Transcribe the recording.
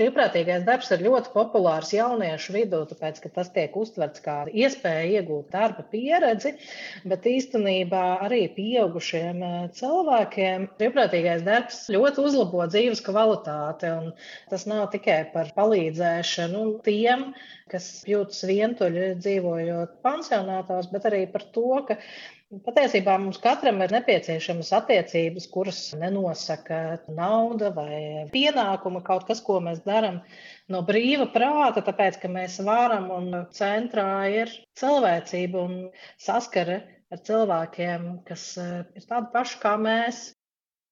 Brīvprātīgais darbs ir ļoti populārs jauniešu vidū, tāpēc, ka tas tiek uztverts kā iespēja iegūt darba pieredzi, bet īstenībā arī pieaugušiem cilvēkiem brīvprātīgais darbs ļoti uzlabo dzīves kvalitāti, un tas nav tikai par palīdzēšanu tiem, kas jūtas vientuļi dzīvojot pansionātos, bet arī par to, ka patiesībā mums katram ir nepieciešamas attiecības, kuras nenosaka nauda vai pienākuma, kaut kas, ko mēs darām no brīva prāta, tāpēc, ka mēs varam un centrā ir cilvēcība un saskare ar cilvēkiem, kas ir tādi paši kā mēs.